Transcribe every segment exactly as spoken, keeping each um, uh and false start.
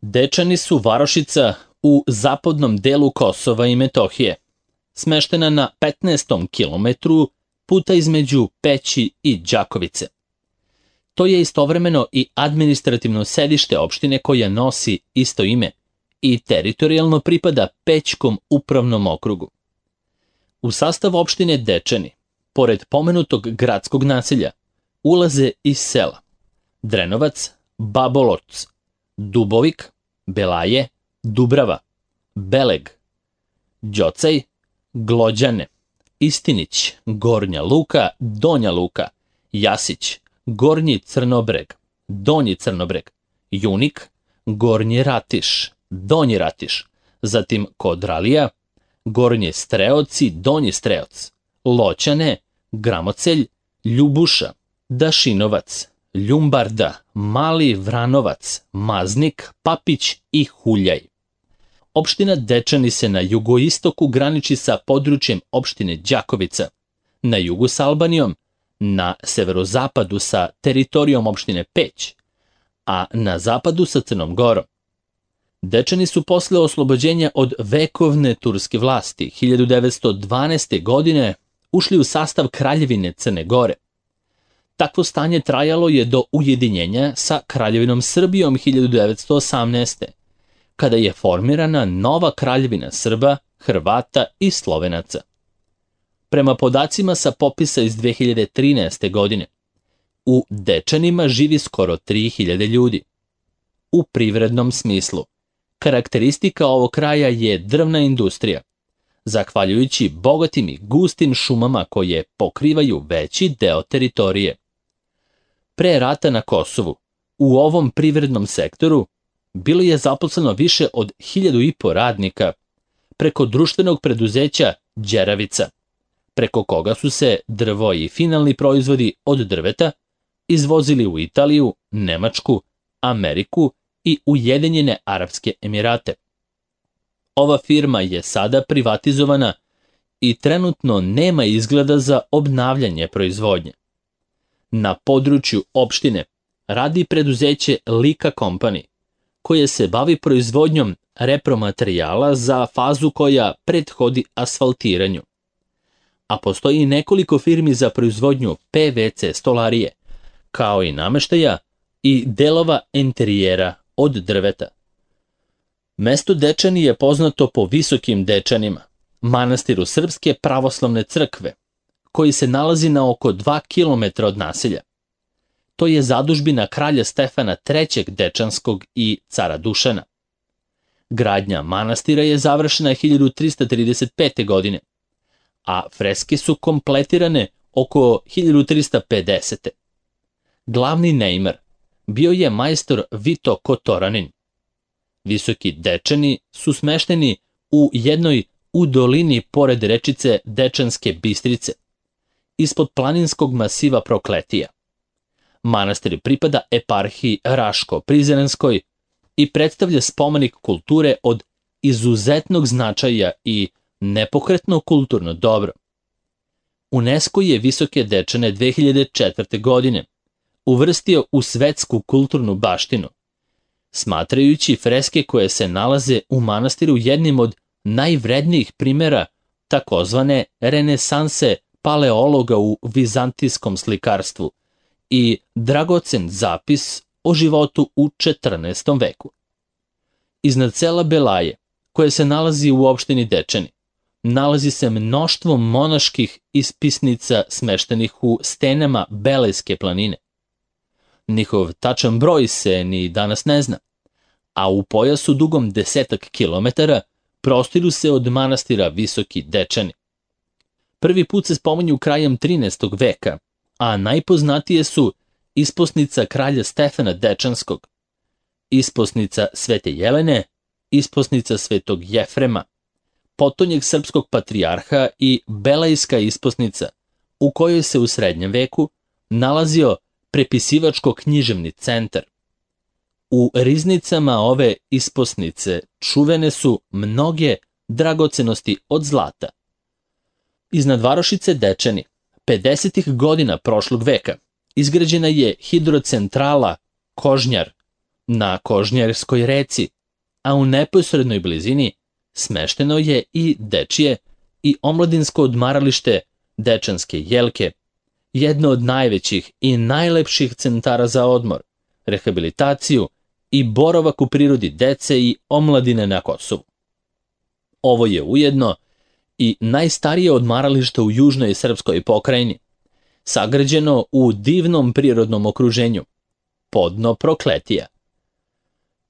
Dečani su varošica u zapadnom delu Kosova i Metohije, smeštena na petnaestom kilometru puta između Peći i Đakovice. To je istovremeno i administrativno sedište opštine koja nosi isto ime i teritorijalno pripada Pećkom upravnom okrugu. U sastav opštine Dečani, pored pomenutog gradskog naselja, ulaze iz sela Drenovac, Baboloc, Dubovik, Belaje, Dubrava, Beleg, Đocaj, Glođane, Istinić, Gornja Luka, Donja Luka, Jasić, Gornji Crnobreg, Donji Crnobreg, Junik, Gornji Ratiš, Donji Ratiš, zatim Kodralija, Gornji Streoc i Donji Streoc, Loćane, Gramocelj, Ljubuša, Dašinovac, Ljumbarda, Mali Vranovac, Maznik, Papić i Huljaj. Opština Dečani se na jugoistoku graniči sa područjem opštine Đakovica, na jugu sa Albanijom, na severozapadu sa teritorijom opštine Peć, a na zapadu sa Crnom Gorom. Dečani su posle oslobođenja od vekovne turske vlasti hiljadu devetsto dvanaeste. godine ušli u sastav Kraljevine Crne Gore. Takvo stanje trajalo je do ujedinjenja sa Kraljevinom Srbijom hiljadu devetsto osamnaeste. kada je formirana nova Kraljevina Srba, Hrvata i Slovenaca. Prema podacima sa popisa iz dve hiljade trinaeste. godine, u Dečanima živi skoro tri hiljade ljudi. U privrednom smislu, karakteristika ovog kraja je drvna industrija, zahvaljujući bogatim i gustim šumama koje pokrivaju veći deo teritorije. Pre rata na Kosovu, u ovom privrednom sektoru, bilo je zaposleno više od hiljadu i po radnika preko društvenog preduzeća Đeravica, preko koga su se drvo i finalni proizvodi od drveta izvozili u Italiju, Nemačku, Ameriku i Ujedinjene Arapske Emirate. Ova firma je sada privatizovana i trenutno nema izgleda za obnavljanje proizvodnje. Na području opštine radi preduzeće Lika Company, koje se bavi proizvodnjom repromaterijala za fazu koja prethodi asfaltiranju. A postoji i nekoliko firmi za proizvodnju P V C stolarije, kao i nameštaja i delova enterijera od drveta. Mesto Dečani je poznato po Visokim Dečanima, manastiru Srpske pravoslavne crkve, koji se nalazi na oko dva kilometra od naselja. To je zadužbina kralja Stefana trećeg Dečanskog i cara Dušana. Gradnja manastira je završena hiljadu trista trideset pete. godine, a freske su kompletirane oko hiljadu trista pedesete. Glavni neimar bio je majstor Vito Kotoranin. Visoki Dečani su smešteni u jednoj u dolini pored rečice Dečanske Bistrice, ispod planinskog masiva Prokletija. Manastir pripada eparhiji Raško-Prizrenskoj i predstavlja spomenik kulture od izuzetnog značaja i nepokretno kulturno dobro. UNESCO je Visoke Dečane dve hiljade četvrte. godine uvrstio u svetsku kulturnu baštinu, smatrajući freske koje se nalaze u manastiru jednim od najvrednijih primjera takozvane renesanse paleologa u vizantijskom slikarstvu i dragocen zapis o životu u četrnaestom. veku. Iznad sela Belaje, koje se nalazi u opštini Dečani, nalazi se mnoštvo monaških ispisnica smeštenih u stenama Belejske planine. Njihov tačan broj se ni danas ne zna, a u pojasu dugom desetak kilometara prostiru se od manastira Visoki Dečani. Prvi put se spominju krajem trinaestog. veka, a najpoznatije su isposnica kralja Stefana Dečanskog, isposnica Svete Jelene, isposnica Svetog Jefrema, potonjeg srpskog patrijarha i Belejska isposnica, u kojoj se u srednjem veku nalazio prepisivačko-književni centar. U riznicama ove isposnice čuvene su mnoge dragocenosti od zlata. Iznad varošice Dečani, pedesetih godina prošlog veka, izgrađena je hidrocentrala Kožnjar, Na Kožnjerskoj reci, a u neposrednoj blizini smešteno je i dečije i omladinsko odmaralište Dečanske jelke, jedno od najvećih i najlepših centara za odmor, rehabilitaciju i boravak u prirodi dece i omladine na Kosovu. Ovo je ujedno i najstarije odmaralište u južnoj srpskoj pokrajini, sagrađeno u divnom prirodnom okruženju, podno Prokletija.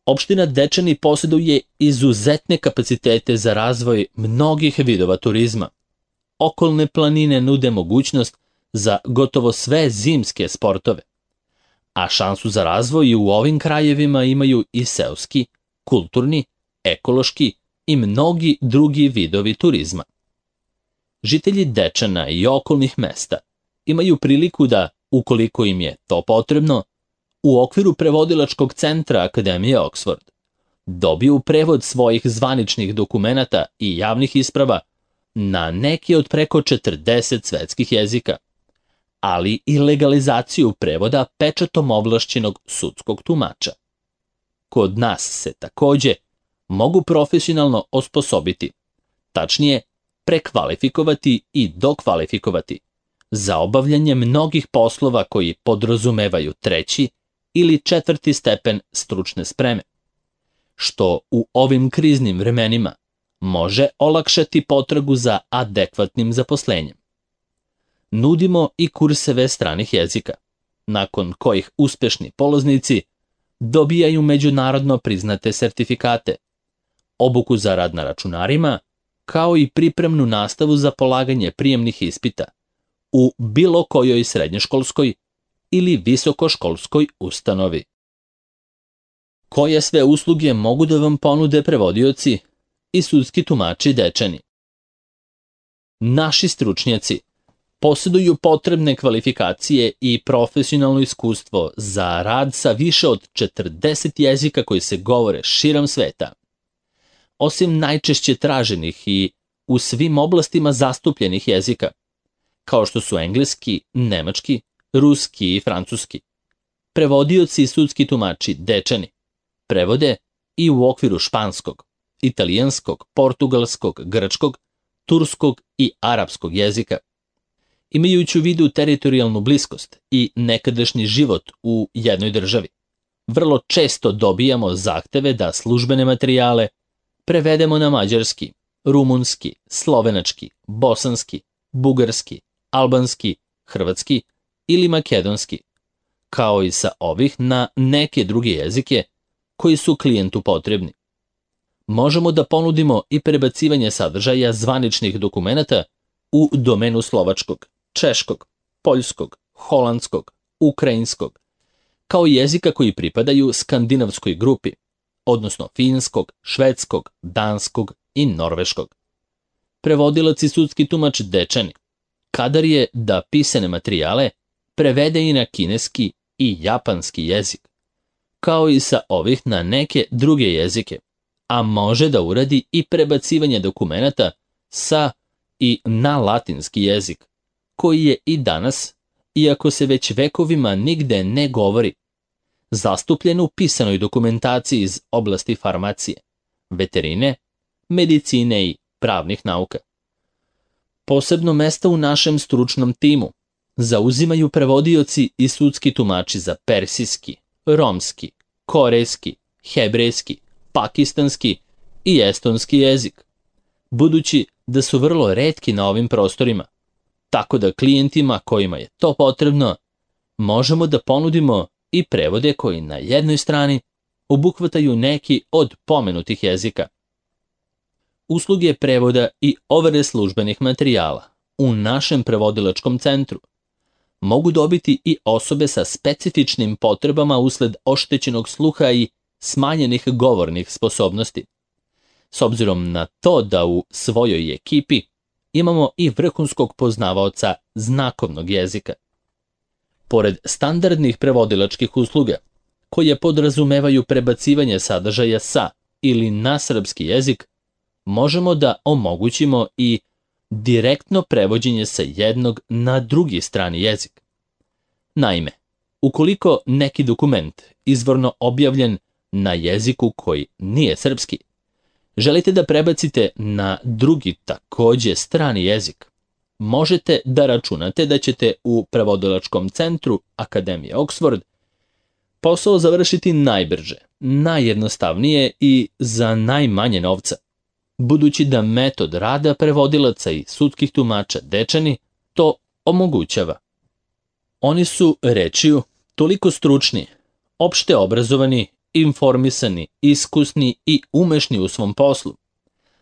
Opština Dečani posjeduje izuzetne kapacitete za razvoj mnogih vidova turizma. Okolne planine nude mogućnost za gotovo sve zimske sportove, a šansu za razvoj u ovim krajevima imaju i seoski, kulturni, ekološki i mnogi drugi vidovi turizma. Žitelji Dečana i okolnih mesta imaju priliku da, ukoliko im je to potrebno, u okviru prevodilačkog centra Akademije Oxford dobiju prevod svojih zvaničnih dokumenata i javnih isprava na neki od preko četrdeset svetskih jezika, ali i legalizaciju prevoda pečatom ovlašćenog sudskog tumača. Kod nas se takođe mogu profesionalno osposobiti, tačnije prekvalifikovati i dokvalifikovati za obavljanje mnogih poslova koji podrazumevaju treći ili četvrti stepen stručne spreme, što u ovim kriznim vremenima može olakšati potragu za adekvatnim zaposlenjem. Nudimo i kurseve stranih jezika, nakon kojih uspešni polaznici dobijaju međunarodno priznate sertifikate, obuku za rad na računarima, kao i pripremnu nastavu za polaganje prijemnih ispita u bilo kojoj srednjoškolskoj ili visokoškolskoj ustanovi. Koje sve usluge mogu da vam ponude prevodioci i sudski tumači Dečani? Naši stručnjaci posjeduju potrebne kvalifikacije i profesionalno iskustvo za rad sa više od četrdeset jezika koji se govore širom sveta. Osim najčešće traženih i u svim oblastima zastupljenih jezika, kao što su engleski, nemački, ruski i francuski, prevodioci i sudski tumači Dečani prevode i u okviru španskog, italijanskog, portugalskog, grčkog, turskog i arapskog jezika. Imajući u vidu teritorijalnu bliskost i nekadašnji život u jednoj državi, vrlo često dobijamo zahteve da službene materijale prevedemo na mađarski, rumunski, slovenački, bosanski, bugarski, albanski, hrvatski ili makedonski, kao i sa ovih na neke druge jezike koji su klijentu potrebni. Možemo da ponudimo i prebacivanje sadržaja zvaničnih dokumenata u domenu slovačkog, češkog, poljskog, holandskog, ukrajinskog, kao i jezika koji pripadaju skandinavskoj grupi, odnosno finskog, švedskog, danskog i norveškog. Prevodilac i sudski tumač Dečani kadar je da pisane materijale prevede i na kineski i japanski jezik, kao i sa ovih na neke druge jezike, a može da uradi i prebacivanje dokumenata sa i na latinski jezik, koji je i danas, iako se već vekovima nigde ne govori, zastupljen u pisanoj dokumentaciji iz oblasti farmacije, veterine, medicine i pravnih nauka. Posebno mesto u našem stručnom timu zauzimaju prevodioci i sudski tumači za persijski, romski, korejski, hebrejski, pakistanski i estonski jezik, budući da su vrlo retki na ovim prostorima, tako da klijentima kojima je to potrebno možemo da ponudimo i prevode koji na jednoj strani obuhvataju neki od pomenutih jezika. Usluge prevoda i overe službenih materijala u našem prevodilačkom centru mogu dobiti i osobe sa specifičnim potrebama usled oštećenog sluha i smanjenih govornih sposobnosti. S obzirom na to da u svojoj ekipi imamo i vrhunskog poznavaoca znakovnog jezika. Pored standardnih prevodilačkih usluga, koje podrazumevaju prebacivanje sadržaja sa ili na srpski jezik, možemo da omogućimo i direktno prevođenje sa jednog na drugi strani jezik. Naime, ukoliko neki dokument izvorno objavljen na jeziku koji nije srpski, želite da prebacite na drugi takođe strani jezik, možete da računate da ćete u prevodilačkom centru Akademije Oxford posao završiti najbrže, najjednostavnije i za najmanje novca, budući da metod rada prevodilaca i sudskih tumača Dečani to omogućava. Oni su, rečju, toliko stručni, opšte obrazovani, informisani, iskusni i umešni u svom poslu,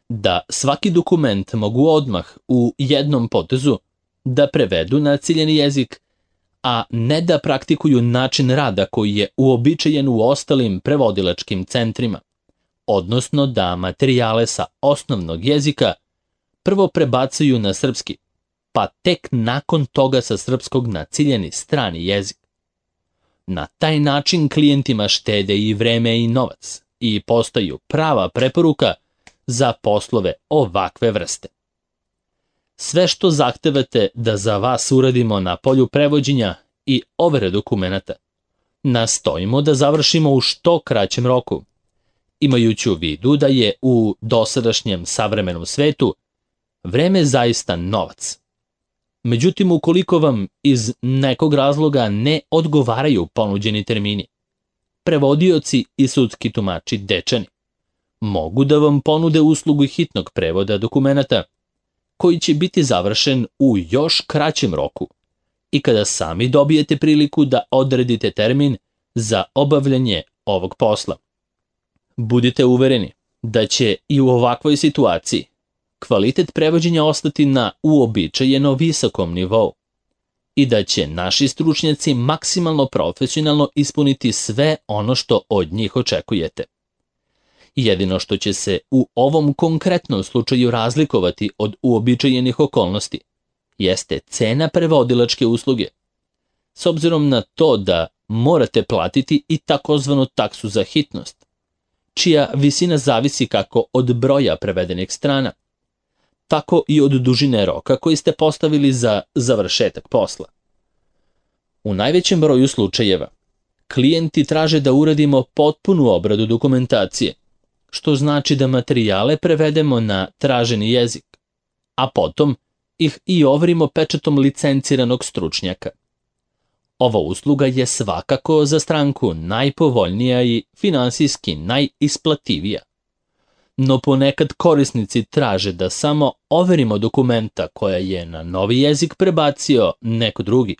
da svaki dokument mogu odmah u jednom potezu da prevedu na ciljeni jezik, a ne da praktikuju način rada koji je uobičajen u ostalim prevodilačkim centrima, odnosno da materijale sa osnovnog jezika prvo prebacuju na srpski, pa tek nakon toga sa srpskog na ciljeni strani jezik. Na taj način klijentima štede i vreme i novac i postaju prava preporuka za poslove ovakve vrste. Sve što zahtevate da za vas uradimo na polju prevođenja i overe dokumenata, nastojimo da završimo u što kraćem roku, imajući u vidu da je u dosadašnjem savremenom svetu vreme zaista novac. Međutim, ukoliko vam iz nekog razloga ne odgovaraju ponuđeni termini, prevodioci i sudski tumači Dečani mogu da vam ponude uslugu hitnog prevoda dokumenata, koji će biti završen u još kraćem roku i kada sami dobijete priliku da odredite termin za obavljanje ovog posla. Budite uvereni da će i u ovakvoj situaciji kvalitet prevođenja ostati na uobičajeno visokom nivou i da će naši stručnjaci maksimalno profesionalno ispuniti sve ono što od njih očekujete. Jedino što će se u ovom konkretnom slučaju razlikovati od uobičajenih okolnosti jeste cena prevodilačke usluge, s obzirom na to da morate platiti i takozvanu taksu za hitnost, čija visina zavisi kako od broja prevedenih strana, tako i od dužine roka koji ste postavili za završetak posla. U najvećem broju slučajeva, klijenti traže da uradimo potpunu obradu dokumentacije, što znači da materijale prevedemo na traženi jezik, a potom ih i overimo pečatom licenciranog stručnjaka. Ova usluga je svakako za stranku najpovoljnija i finansijski najisplativija. No ponekad korisnici traže da samo overimo dokumenta koja je na novi jezik prebacio neko drugi,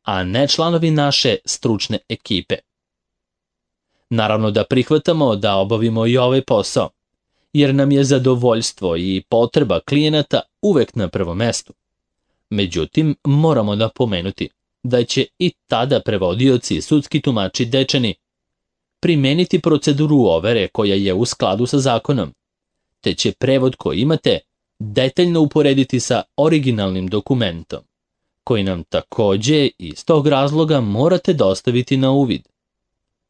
a ne članovi naše stručne ekipe. Naravno da prihvatamo da obavimo i ovaj posao, jer nam je zadovoljstvo i potreba klijenata uvek na prvom mestu. Međutim, moramo da pomenuti da će i tada prevodioci i sudski tumači Dečani primeniti proceduru overe koja je u skladu sa zakonom, te će prevod koji imate detaljno uporediti sa originalnim dokumentom, koji nam takođe iz tog razloga morate dostaviti na uvid.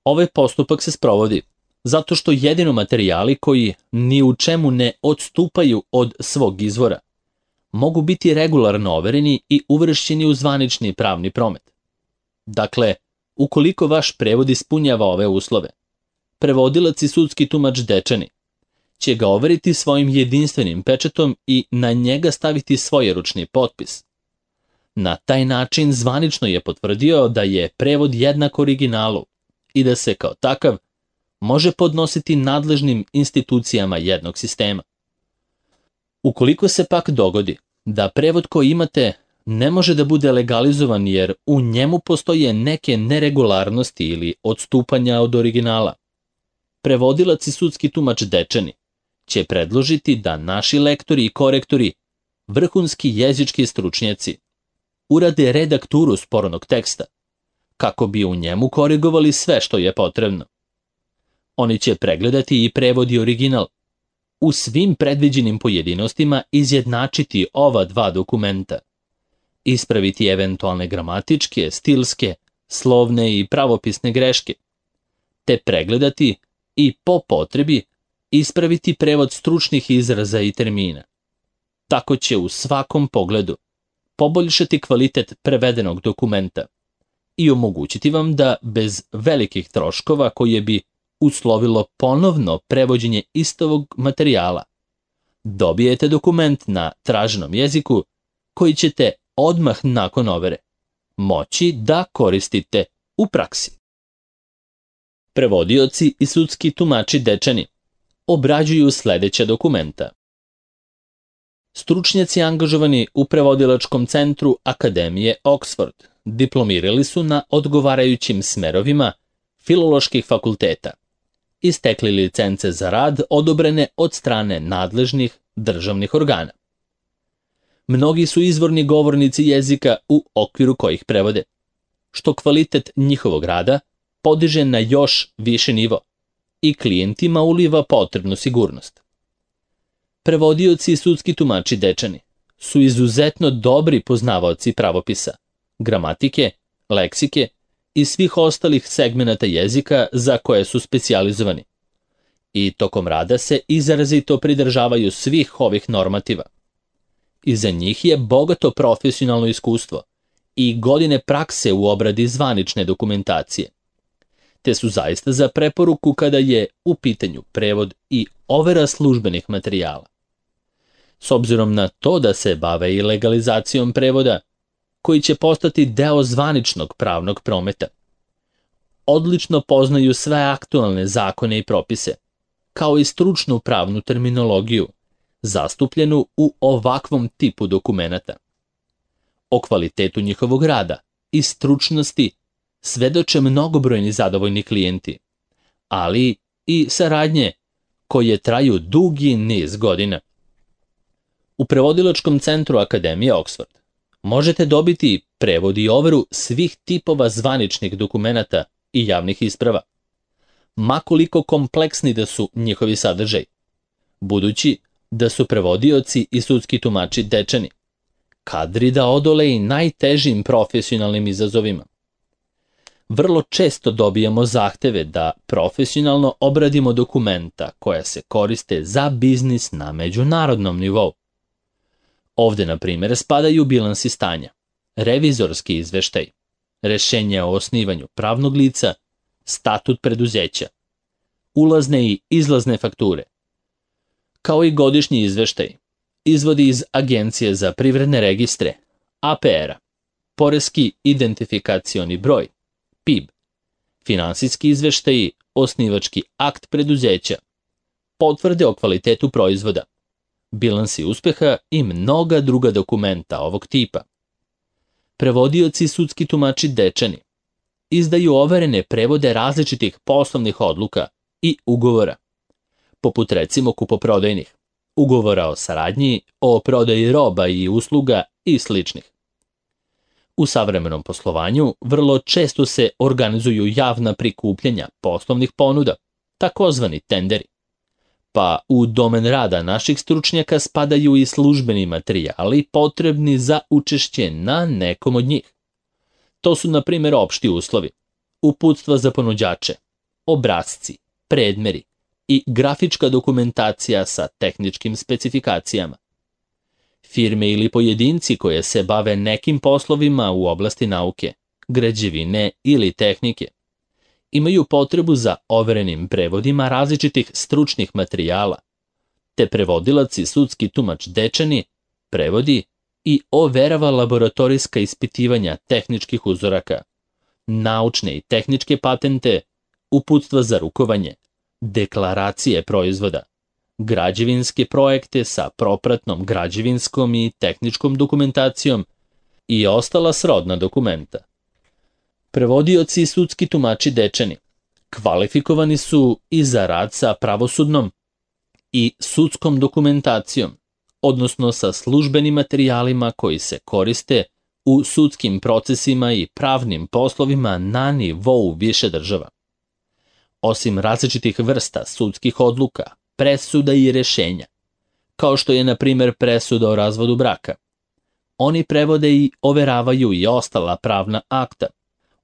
Ovaj postupak se sprovodi zato što jedino materijali koji ni u čemu ne odstupaju od svog izvora mogu biti regularno overeni i uvršćeni u zvanični pravni promet. Dakle, ukoliko vaš prevod ispunjava ove uslove, prevodilac i sudski tumač Dečani će ga overiti svojim jedinstvenim pečatom i na njega staviti svojeručni potpis. Na taj način zvanično je potvrdio da je prevod jednak originalu i da se kao takav može podnositi nadležnim institucijama jednog sistema. Ukoliko se pak dogodi da prevod koji imate ne može da bude legalizovan jer u njemu postoje neke neregularnosti ili odstupanja od originala, prevodilac i sudski tumač Dečani će predložiti da naši lektori i korektori, vrhunski jezički stručnjaci, urade redakturu spornog teksta, kako bi u njemu korigovali sve što je potrebno. Oni će pregledati i prevod i original, u svim predviđenim pojedinostima izjednačiti ova dva dokumenta, ispraviti eventualne gramatičke, stilske, slovne i pravopisne greške, te pregledati i po potrebi ispraviti prevod stručnih izraza i termina. Tako će u svakom pogledu poboljšati kvalitet prevedenog dokumenta i omogućiti vam da bez velikih troškova koje bi uslovilo ponovno prevođenje istovog materijala. Dobijete dokument na traženom jeziku koji ćete odmah nakon overe moći da koristite u praksi. Prevodioci i sudski tumači Dečani obrađuju sledeća dokumenta. Stručnjaci angažovani u prevodilačkom centru Akademije Oxford diplomirali su na odgovarajućim smerovima filoloških fakulteta i stekli licence za rad odobrene od strane nadležnih državnih organa. Mnogi su izvorni govornici jezika u okviru kojih prevode, što kvalitet njihovog rada podiže na još više nivo i klijentima uliva potrebnu sigurnost. Prevodioci i sudski tumači Dečani su izuzetno dobri poznavaoci pravopisa, gramatike, leksike i svih ostalih segmenata jezika za koje su specijalizovani. I tokom rada se izrazito pridržavaju svih ovih normativa. Iza njih je bogato profesionalno iskustvo i godine prakse u obradi zvanične dokumentacije, te su zaista za preporuku kada je u pitanju prevod i overa službenih materijala. S obzirom na to da se bave i legalizacijom prevoda, koji će postati deo zvaničnog pravnog prometa, odlično poznaju sve aktualne zakone i propise, kao i stručnu pravnu terminologiju, zastupljenu u ovakvom tipu dokumenata. O kvalitetu njihovog rada i stručnosti svedoče mnogobrojni zadovoljni klijenti, ali i saradnje koje traju dugi niz godina. U prevodilačkom centru Akademije Oxford možete dobiti prevod i overu svih tipova zvaničnih dokumenata i javnih isprava, makoliko kompleksni da su njihovi sadržaj, budući da su prevodioci i sudski tumači Dečani kadri da odole i najtežim profesionalnim izazovima. Vrlo često dobijamo zahteve da profesionalno obradimo dokumenta koja se koriste za biznis na međunarodnom nivou. Ovde, na primjer, spadaju bilansi stanja, revizorski izveštaj, rešenje o osnivanju pravnog lica, statut preduzeća, ulazne i izlazne fakture, kao i godišnji izveštaj, izvodi iz Agencije za privredne registre, A P R-a, poreski identifikacioni broj, P I B, finansijski izveštaji, osnivački akt preduzeća, potvrde o kvalitetu proizvoda, bilansi uspeha i mnoga druga dokumenta ovog tipa. Prevodioci i sudski tumači Dečani izdaju overene prevode različitih poslovnih odluka i ugovora, poput recimo kupoprodajnih, ugovora o saradnji, o prodaji roba i usluga i sličnih. U savremenom poslovanju vrlo često se organizuju javna prikupljanja poslovnih ponuda, takozvani tenderi, pa u domen rada naših stručnjaka spadaju i službeni materijali potrebni za učešće na nekom od njih. To su, na primjer, opšti uslovi, uputstva za ponuđače, obrasci, predmeri i grafička dokumentacija sa tehničkim specifikacijama. Firme ili pojedinci koje se bave nekim poslovima u oblasti nauke, građevine ili tehnike imaju potrebu za overenim prevodima različitih stručnih materijala, te prevodilac i sudski tumač Dečani prevodi i overava laboratorijska ispitivanja tehničkih uzoraka, naučne i tehničke patente, uputstva za rukovanje, deklaracije proizvoda, građevinske projekte sa propratnom građevinskom i tehničkom dokumentacijom i ostala srodna dokumenta. Prevodioci i sudski tumači Dečani kvalifikovani su i za rad sa pravosudnom i sudskom dokumentacijom, odnosno sa službenim materijalima koji se koriste u sudskim procesima i pravnim poslovima na nivou više država. Osim različitih vrsta sudskih odluka, presuda i rešenja, kao što je, na primjer, presuda o razvodu braka, oni prevode i overavaju i ostala pravna akta,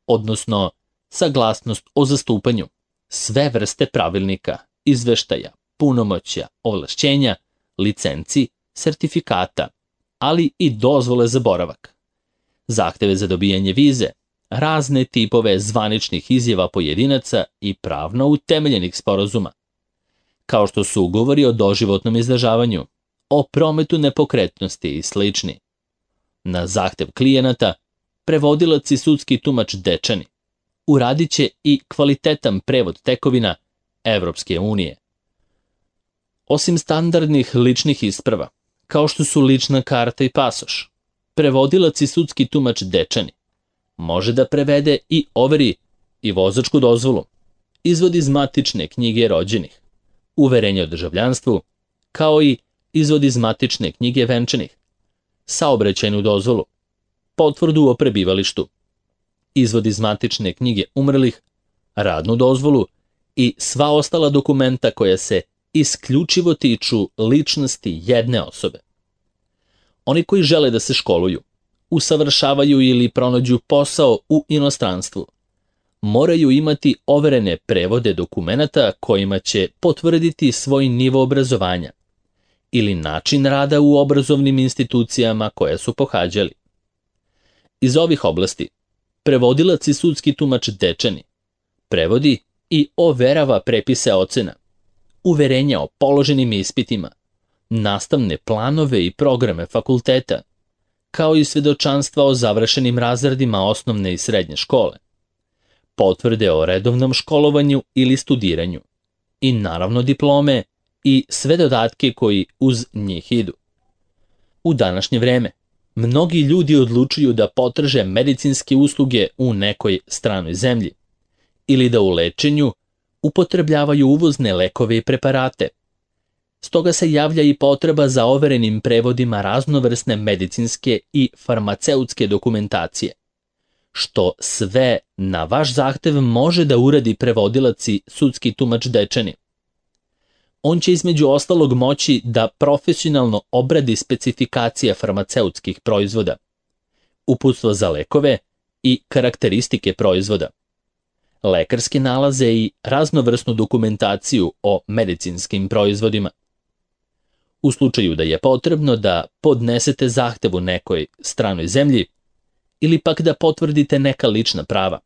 odnosno saglasnost o zastupanju, sve vrste pravilnika, izveštaja, punomoćja, ovlašćenja, licenci, sertifikata, ali i dozvole za boravak, zahteve za dobijanje vize, razne tipove zvaničnih izjava pojedinaca i pravno utemeljenih sporazuma, kao što su ugovori o doživotnom izdržavanju, o prometu nepokretnosti i slični. Na zahtev klijenata, prevodilac i sudski tumač Dečani uradit će i kvalitetan prevod tekovina Evropske unije. Osim standardnih ličnih isprava, kao što su lična karta i pasoš, prevodilac i sudski tumač Dečani može da prevede i overi i vozačku dozvolu, izvod iz matične knjige rođenih, uverenje o državljanstvu, kao i izvod iz matične knjige venčanih, saobraćajnu dozvolu, potvrdu o prebivalištu, izvod iz matične knjige umrlih, radnu dozvolu i sva ostala dokumenta koja se isključivo tiču ličnosti jedne osobe. Oni koji žele da se školuju, usavršavaju ili pronađu posao u inostranstvu, moraju imati overene prevode dokumenata kojima će potvrditi svoj nivo obrazovanja ili način rada u obrazovnim institucijama koje su pohađali. Iz ovih oblasti, prevodilac i sudski tumač Dečani prevodi i overava prepise ocena, uverenja o položenim ispitima, nastavne planove i programe fakulteta, kao i svedočanstva o završenim razredima osnovne i srednje škole, potvrde o redovnom školovanju ili studiranju i naravno diplome i sve dodatke koji uz njih idu. U današnje vreme, mnogi ljudi odlučuju da potraže medicinske usluge u nekoj stranoj zemlji ili da u lečenju upotrebljavaju uvozne lekove i preparate. Stoga se javlja i potreba za overenim prevodima raznovrsne medicinske i farmaceutske dokumentacije, što sve na vaš zahtev može da uradi prevodilac i sudski tumač Dečani. On će između ostalog moći da profesionalno obradi specifikacije farmaceutskih proizvoda, uputstva za lekove i karakteristike proizvoda, lekarske nalaze i raznovrsnu dokumentaciju o medicinskim proizvodima. U slučaju da je potrebno da podnesete zahtev u nekoj stranoj zemlji ili pak da potvrdite neka lična prava,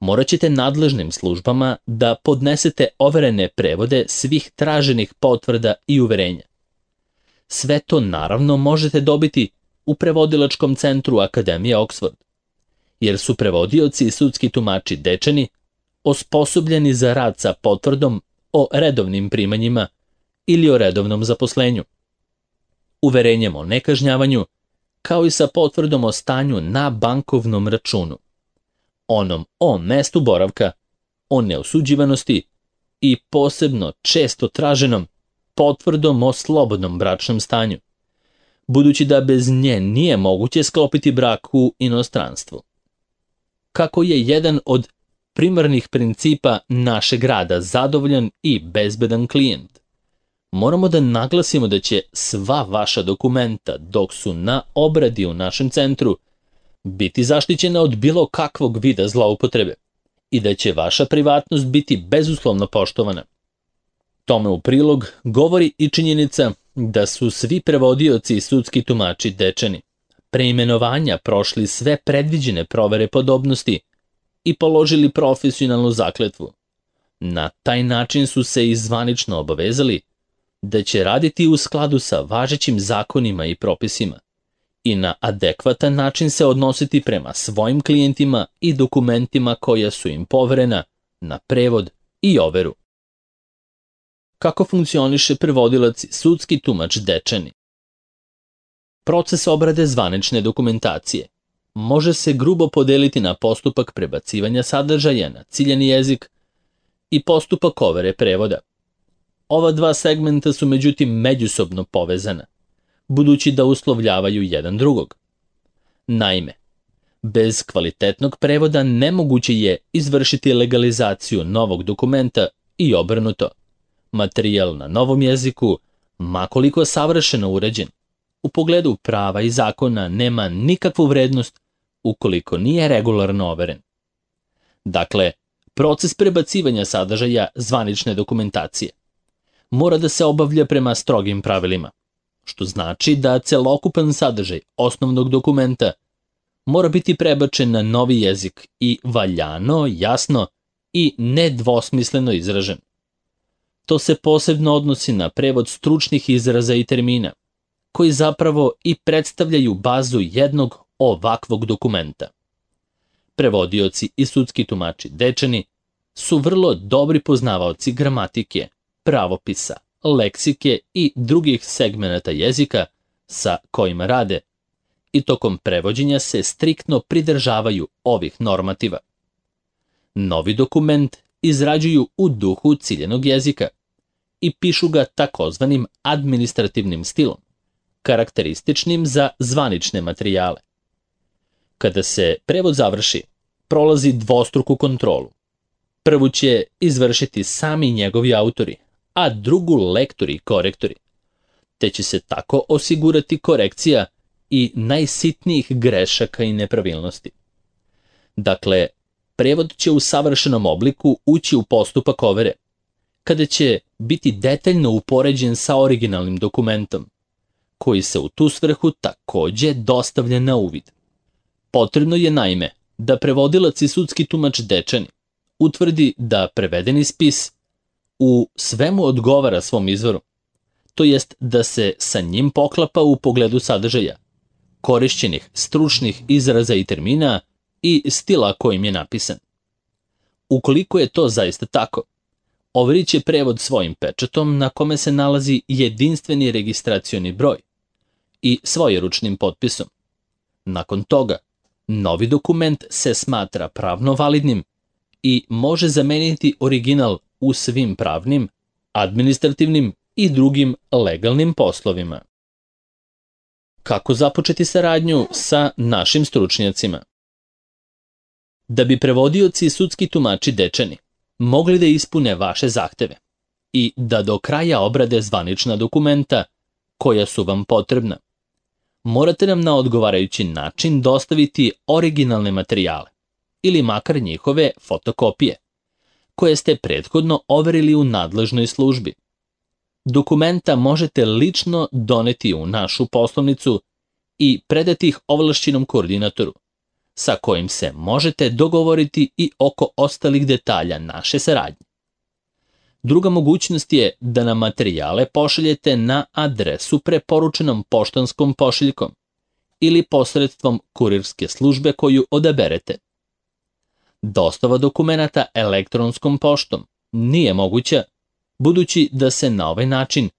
morat ćete nadležnim službama da podnesete overene prevode svih traženih potvrda i uverenja. Sve to naravno možete dobiti u prevodilačkom centru Akademije Oxford, jer su prevodioci i sudski tumači Dečani osposobljeni za rad sa potvrdom o redovnim primanjima ili o redovnom zaposlenju, uverenjem o nekažnjavanju, kao i sa potvrdom o stanju na bankovnom računu, onom o mestu boravka, o neosuđivanosti i posebno često traženom potvrdom o slobodnom bračnom stanju, budući da bez nje nije moguće sklopiti brak u inostranstvu. Kako je jedan od primarnih principa našeg rada zadovoljan i bezbedan klijent, moramo da naglasimo da će sva vaša dokumenta dok su na obradi u našem centru biti zaštićena od bilo kakvog vida zloupotrebe i da će vaša privatnost biti bezuslovno poštovana. Tome u prilog govori i činjenica da su svi prevodioci i sudski tumači Dečani pre imenovanja prošli sve predviđene provere podobnosti i položili profesionalnu zakletvu. Na taj način su se i zvanično obavezali da će raditi u skladu sa važećim zakonima i propisima i na adekvatan način se odnositi prema svojim klijentima i dokumentima koja su im poverena na prevod i overu. Kako funkcioniše prevodilac i sudski tumač Dečani? Proces obrade zvanične dokumentacije može se grubo podeliti na postupak prebacivanja sadržaja na ciljani jezik i postupak overe prevoda. Ova dva segmenta su međutim međusobno povezana, budući da uslovljavaju jedan drugog. Naime, bez kvalitetnog prevoda nemoguće je izvršiti legalizaciju novog dokumenta i obrnuto. Materijal na novom jeziku, makoliko savršeno uređen, u pogledu prava i zakona nema nikakvu vrednost ukoliko nije regularno overen. Dakle, proces prebacivanja sadržaja zvanične dokumentacije mora da se obavlja prema strogim pravilima, što znači da celokupan sadržaj osnovnog dokumenta mora biti prebačen na novi jezik i valjano, jasno i nedvosmisleno izražen. To se posebno odnosi na prevod stručnih izraza i termina, koji zapravo i predstavljaju bazu jednog ovakvog dokumenta. Prevodioci i sudski tumači Dečani su vrlo dobri poznavaoci gramatike, pravopisa, leksike i drugih segmenata jezika sa kojima rade i tokom prevođenja se striktno pridržavaju ovih normativa. Novi dokument izrađuju u duhu ciljenog jezika i pišu ga takozvanim administrativnim stilom, karakterističnim za zvanične materijale. Kada se prevod završi, prolazi dvostruku kontrolu. Prvu će izvršiti sami njegovi autori, a drugu lektori i korektori, te će se tako osigurati korekcija i najsitnijih grešaka i nepravilnosti. Dakle, prevod će u savršenom obliku ući u postupak overe, kada će biti detaljno upoređen sa originalnim dokumentom, koji se u tu svrhu takođe dostavlja na uvid. Potrebno je naime da prevodilac i sudski tumač Dečani utvrdi da prevedeni spis u svemu odgovara svom izvoru, to jest da se sa njim poklapa u pogledu sadržaja, korišćenih stručnih izraza i termina i stila kojim je napisan. Ukoliko je to zaista tako, overit će prevod svojim pečatom na kome se nalazi jedinstveni registracioni broj i svojeručnim potpisom. Nakon toga, novi dokument se smatra pravno validnim i može zameniti original u svim pravnim, administrativnim i drugim legalnim poslovima. Kako započeti saradnju sa našim stručnjacima? Da bi prevodioci i sudski tumači Dečani mogli da ispune vaše zahteve i da do kraja obrade zvanična dokumenta koja su vam potrebna, morate nam na odgovarajući način dostaviti originalne materijale ili makar njihove fotokopije, koje ste prethodno overili u nadležnoj službi. Dokumenta možete lično doneti u našu poslovnicu i predati ih ovlašćenom koordinatoru, sa kojim se možete dogovoriti i oko ostalih detalja naše saradnje. Druga mogućnost je da nam materijale pošaljete na adresu preporučenom poštanskom pošiljkom ili posredstvom kurirske službe koju odaberete. Dostava dokumenata elektronskom poštom nije moguća, budući da se na ovaj način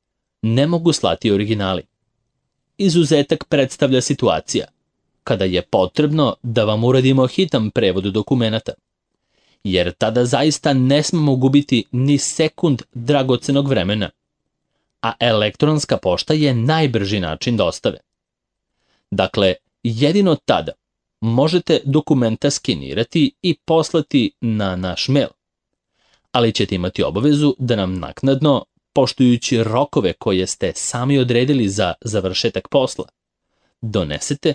ne mogu slati originali. Izuzetak predstavlja situacija kada je potrebno da vam uradimo hitan prevod dokumenata, jer tada zaista ne smemo gubiti ni sekund dragocenog vremena, a elektronska pošta je najbrži način dostave. Dakle, jedino tada možete dokumenta skenirati i poslati na naš mail, ali ćete imati obavezu da nam naknadno, poštujući rokove koje ste sami odredili za završetak posla, donesete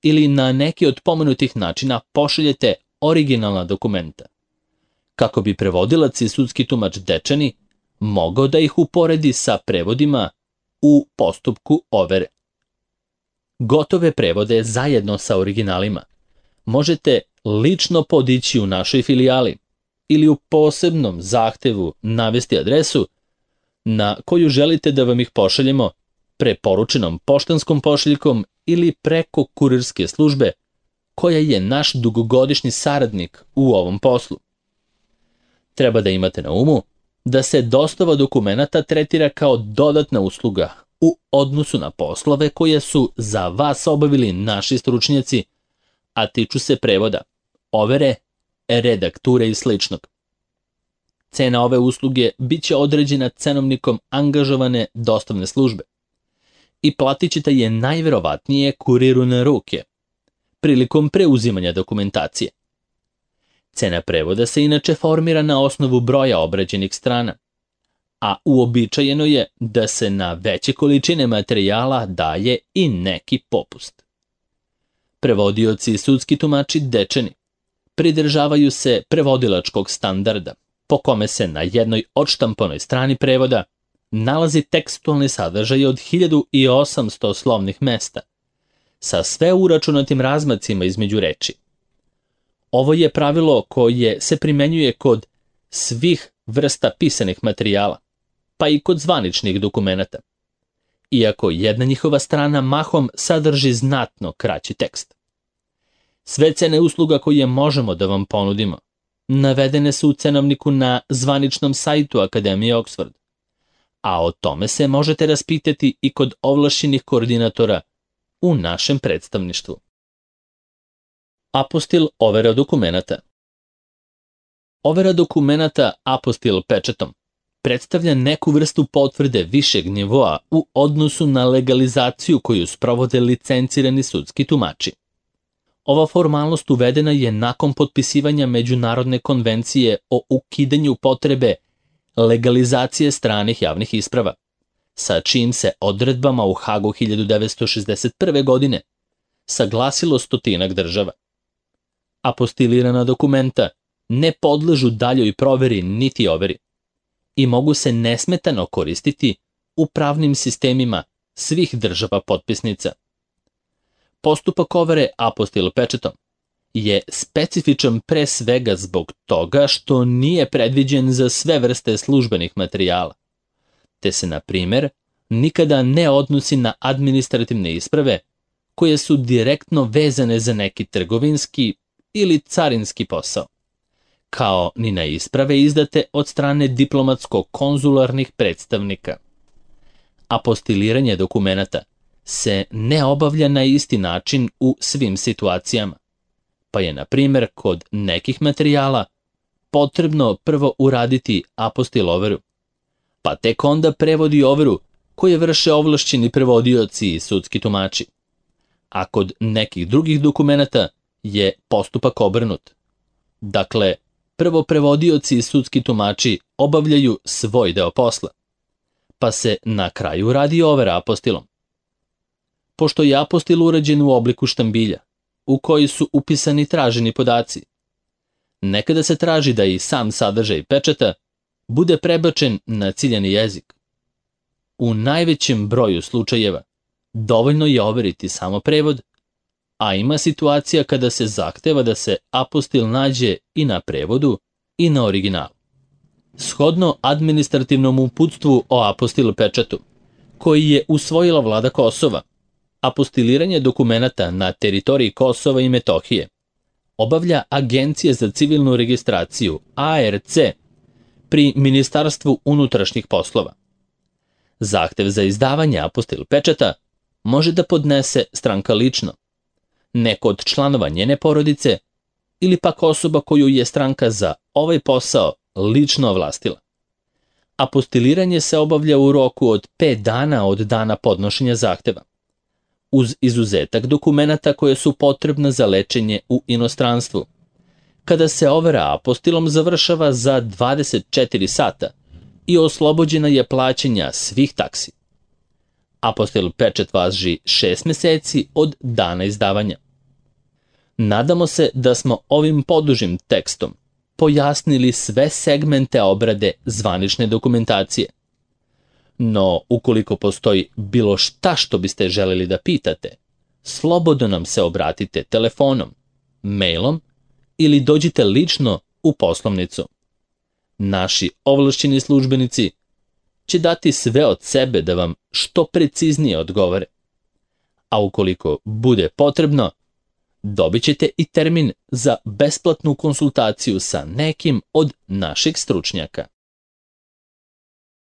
ili na neki od pomenutih načina pošaljete originalna dokumenta, kako bi prevodilac i sudski tumač Dečani mogao da ih uporedi sa prevodima u postupku overe. Gotove prevode zajedno sa originalima možete lično podići u našoj filijali ili u posebnom zahtevu navesti adresu na koju želite da vam ih pošaljemo preporučenom poštanskom pošiljkom ili preko kurirske službe koja je naš dugogodišnji saradnik u ovom poslu. Treba da imate na umu da se dostava dokumenata tretira kao dodatna usluga u odnosu na poslove koje su za vas obavili naši stručnjaci, a tiču se prevoda, overe, redakture i sličnog. Cena ove usluge bit će određena cenovnikom angažovane dostavne službe i platit ćete je najverovatnije kuriru na ruke prilikom preuzimanja dokumentacije. Cena prevoda se inače formira na osnovu broja obrađenih strana, a uobičajeno je da se na veće količine materijala daje i neki popust. Prevodioci i sudski tumači Dečani pridržavaju se prevodilačkog standarda, po kome se na jednoj odštampanoj strani prevoda nalazi tekstualni sadržaj od hiljadu osamsto slovnih mesta, sa sve uračunatim razmacima između reči. Ovo je pravilo koje se primenjuje kod svih vrsta pisanih materijala, pa i kod zvaničnih dokumenata, iako jedna njihova strana mahom sadrži znatno kraći tekst. Sve cene usluga koje možemo da vam ponudimo navedene su u cenovniku na zvaničnom sajtu Akademije Oxford, a o tome se možete raspitati i kod ovlašćenih koordinatora u našem predstavništvu. Apostil overa dokumenata. Overa dokumenata apostil pečatom predstavlja neku vrstu potvrde višeg nivoa u odnosu na legalizaciju koju sprovode licencirani sudski tumači. Ova formalnost uvedena je nakon potpisivanja Međunarodne konvencije o ukidanju potrebe legalizacije stranih javnih isprava, sa čijim se odredbama u Hagu hiljadu devetsto šezdeset prve. godine saglasilo stotinak država. Apostilirana dokumenta ne podležu daljoj proveri niti overi i mogu se nesmetano koristiti u pravnim sistemima svih država potpisnica. Postupak overe apostil pečatom je specifičan pre svega zbog toga što nije predviđen za sve vrste službenih materijala, te se, na primer, nikada ne odnosi na administrativne isprave koje su direktno vezane za neki trgovinski ili carinski posao, kao ni na isprave izdate od strane diplomatsko-konzularnih predstavnika. Apostiliranje dokumenata se ne obavlja na isti način u svim situacijama, pa je, na primer, kod nekih materijala potrebno prvo uraditi apostil overu, pa tek onda prevodi overu koje vrše ovlašćeni prevodioci i sudski tumači, a kod nekih drugih dokumenata je postupak obrnut. Dakle, prvo prevodioci i sudski tumači obavljaju svoj deo posla, pa se na kraju radi overa apostilom. Pošto je apostil urađen u obliku štambilja, u koji su upisani traženi podaci, nekada se traži da i sam sadržaj pečata bude prebačen na ciljani jezik. U najvećem broju slučajeva dovoljno je overiti samo prevod, a ima situacija kada se zahteva da se apostil nađe i na prevodu i na originalu. Shodno administrativnom uputstvu o apostil pečatu, koji je usvojila vlada Kosova, apostiliranje dokumenata na teritoriji Kosova i Metohije obavlja Agencija za civilnu registraciju A R C pri Ministarstvu unutrašnjih poslova. Zahtev za izdavanje apostil pečata može da podnese stranka lično, neko od članova njene porodice ili pak osoba koju je stranka za ovaj posao lično ovlastila. Apostiliranje se obavlja u roku od pet dana od dana podnošenja zahteva, uz izuzetak dokumenata koje su potrebna za lečenje u inostranstvu, kada se overa apostilom završava za dvadeset četiri sata i oslobođena je plaćanja svih taksi. Apostil pečat važi šest meseci od dana izdavanja. Nadamo se da smo ovim podužim tekstom pojasnili sve segmente obrade zvanične dokumentacije. No, ukoliko postoji bilo šta što biste želeli da pitate, slobodno nam se obratite telefonom, mailom ili dođite lično u poslovnicu. Naši ovlašćeni službenici će dati sve od sebe da vam što preciznije odgovore. A ukoliko bude potrebno, dobit ćete i termin za besplatnu konsultaciju sa nekim od naših stručnjaka.